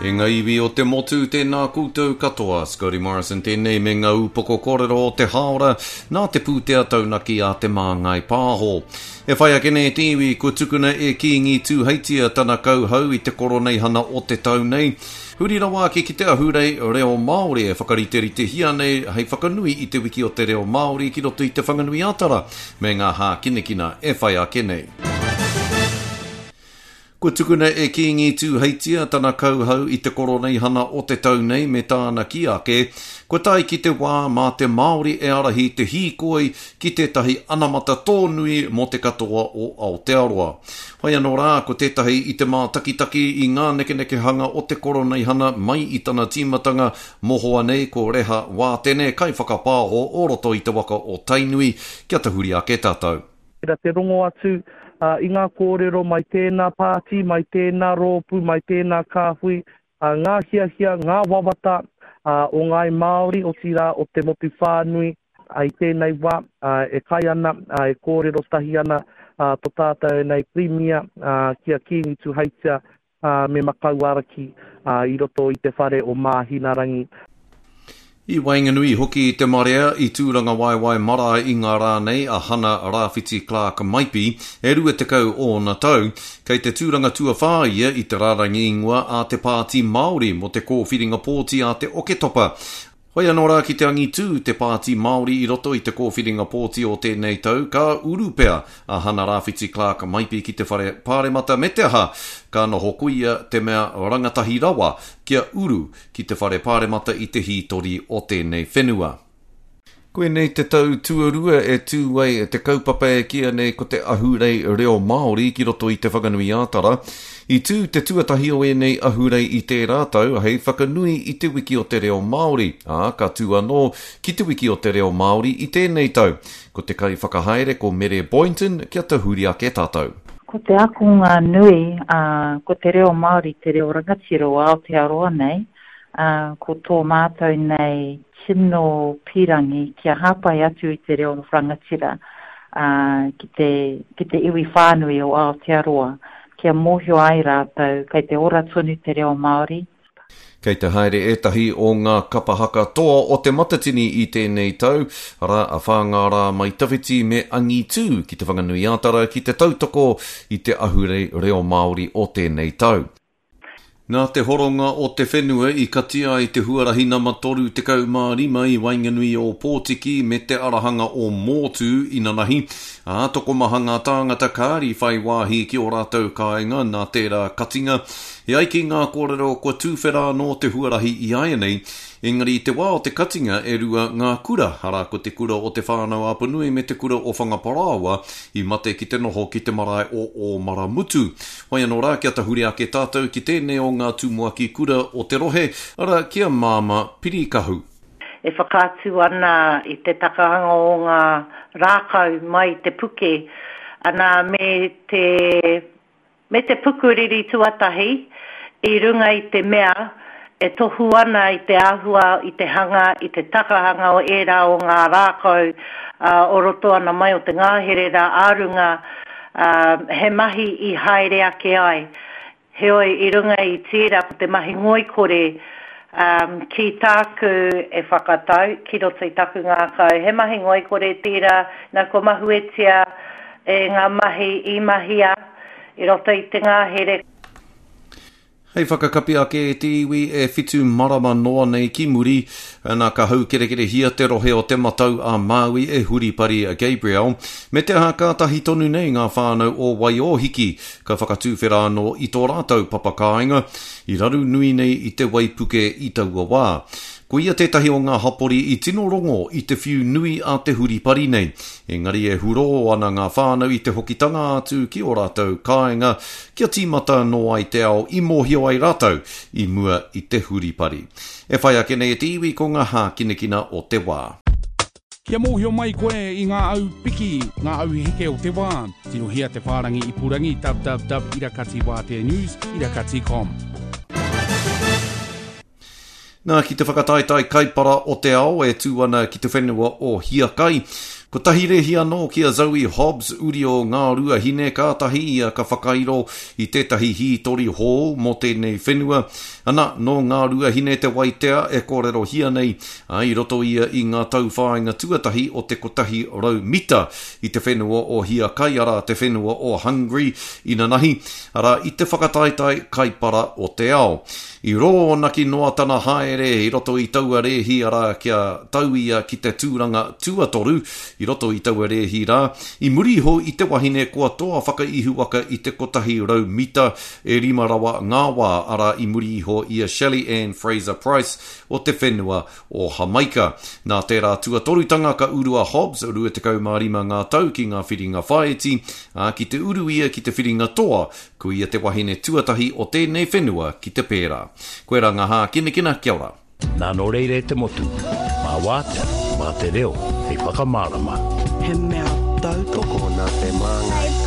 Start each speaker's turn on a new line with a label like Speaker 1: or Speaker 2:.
Speaker 1: E ngā iwi o te motu, tēnā koutou katoa. Scotty Morrison tēnei me ngā upoko kōrero o te hāora nā te pūtea taunaki a Te Māngai Pāho. E whai ake nei te iwi, kua tukuna e Kīngi Tūheitia tana kauhau i te Koroneihana o te tau nei. Huri rawa ake ki te ahurei reo Māori e whakariteritehia nei hei whakanui i te wiki o te reo Māori ki roto i Te Whanganui-a-Tara me ngā hākinakina e whai ake nei. Kua tukuna e Kīngi Tūheitia tana kauhau i te Koroneihana o te tau nei me tāna kī ake, kua tae ki te wā mā te Māori e ārahi te hīkoi ki tētahi anamata tōnui mō te katoa o Aotearoa. Whai anō rā, ko tētahi i te mātakitaki i ngā nekenekehanga o te Koroneihana mai i tana tīmatanga mohoa nei ko Reha Wātene, kaiwhakapāho o roto i te waka o Tainui, kia tahuri ake tātou.
Speaker 2: Reira te rongo atu i ngā kōrero mai tēnā pāti, mai tēnā rōpū, mai tēnā kāhui, ngā hiahia, ngā wawata o ngāi Māori, otirā o te motu whānui i tēnei wā e kai ana, e kōrero tahi ana tō tātou nei Pirimia ki a Kīngi Tuheitia me Makauaraki i roto i te whare o Māhinarangi.
Speaker 1: I waenganui hoki i te marea i Tūrangawaewae marae i ngā rā nei a Hana Rāwhiti Clark Maipi, e 20 ōna tau. Kei te tūranga tuawhā ia i te rārangi ingoa a te Pāti Māori mō te kōwhiringa pōti a te Oketopa. Hoi anō rā ki te angitū te Pāti Māori i roto i te kōwhiringa pōti o tēnei tau, ka uru pea a Hana Rāwhiti Clark Maipi ki te Whare Pāremata me te aha, ka noho ko ia te mea rangatahi rawa kia uru ki te Whare Pāremata i te hītori o tēnei whenua. Koinei te tau tuarua e tū ai te kaupapa e kīia nei ko te Ahurei Reo Māori ki roto i Te Whanganui-ā-Tara. I tū te tuatahi o ēnei ahurei i tērā tau hei whakanui i Te Wiki o te Reo Māori, ā, ka tū anō ki Te Wiki o te Reo Māori i tēnei tau. Ko te kaiwhakahaere ko Mere Boynton, kia tahuri ake tātou.
Speaker 3: Ko te akonga nui, ā, ko te reo Māori te reo rangatira o Aotearoa nei, ā, ko tō mātou nei tino pīrangi kia hāpai atu i te reo rangatira, ā, ki te, ki te iwi whānui o Aotearoa, kia mōhio ai rātou kei te ora tonu te reo Māori.
Speaker 1: Kei te haere ētahi o ngā kapa haka toa o Te Matatini i tēnei tau, arā, a Whāngārā Mai Tawhiti me Angitū ki Te Whanganui-ā-Tara ki te tautoko i te ahurei reo Māori o tēnei tau. Nā te horonga o te whenua i katia ai te huarahi nama 35 i waenganui i Ōpōtiki me te arahanga o Mōtū inanahi, ā, tokomaha ngā tāngata kāri whai wāhi ki ō rātou kāinga nā tērā katinga. E ai ki ngā kōrero kua tūwhera anō te huarahi iāianei, Engari i te wā o te katinga e rua ngā kura, arā ko te kura o Te Whānau-a-Apanui me te kura o Whangaparāoa i mate ki te noho ki te marae o Ōmaramutu. Whai anō rā kia tahuri ake tātou ki tēnei o ngā tumuaki kura o te rohe, arā ki a Māma Pirikahu.
Speaker 4: E whakaatu ana i te takahanga o ngā rākau mai i te puke, ana me te Me te pukuriri tuatahi, i runga i te mea e tohu ana i te āhua, i te hanga, i te takahanga o ērā o ngā rākau o roto ana mai o te ngahere rā ā-runga, he mahi i haere ake ai. Heoi, i runga i tērā ko te mahi ngoikore, ki tāku e whakatau, ki roto i taku ngākau, he mahi ngoikore tērā, nā kua mahuetia e ngā mahi i mahia i roto i te ngahere.
Speaker 1: Hei whakakapi ake e te iwi e whitu marama noa nei ki muri, ana ka haukerekerehia te rohe o Te Matau a Māui e Huripari Gabrielle, me te aha kātahi tonu nei ngā whānau o Waiōhiki ka whakatūwhera anō i tō rātou papa kāinga, i raru nui nei i te waipuke i taua wā. Ko ia tētahi o ngā hapori i tino rongo i te whiu nui a te huripari nei. Engari e hurō ana ngā whānau i te hokitanga atu ki ō rātou kāinga kia tīmata anō ai te ao i mōhio ai rātou i mua i te huripari. E whai ake nei e te iwi ko ngā hākinakina o te wā.
Speaker 5: Kia mōhio mai koe i ngā au piki, ngā au heke o te wā, tirohia te whārangi ipurangi www irakatiwāteanews irakati com.
Speaker 1: Nā, ki te whakataetae kaipara o te ao e tū ana ki te whenua o Hiakai. Kotahi rēhi anō ki a Zoe Hobbs, uri o Ngāruahine, kātahi ia ka whakairo i tētahi hītori hou mō tēnei whenua. Ana, nō Ngāruahine te waitea e kōrerohia nei, ā, i roto ia i ngā tauwhāinga tuatahi o te 100 mita i te whenua o Hiakai, arā, te whenua o Hungary inanahi, arā, i te whakataetae kaipara o te ao. I rōnaki noa tana haere i roto i taua rēhi arā kia tau ia ki te tūranga tuatoru i roto i taua rēhi rā, i muri iho i te wahine kua toa whakaihuwaka i te 100 mita e rima rawa ngā wā arā i muri iho i a Shelly-Ann Fraser-Pryce o te whenua o Hamaika. Nā tērā tuatorutanga ka uru a Hobbs, 25 ngā tau ki ngā whiringa whāiti, ā, ki te uru ia ki te whiringa toa Ko ia te wahine tuatahi o tēnei whenua ki te pērā. Koirā ngā hākinakina, kia ora.
Speaker 6: Nā nō reira e te motu, mā Wātea, mā te reo hei whakamārama.
Speaker 7: He mea tautoko.
Speaker 8: Tokona te māngai.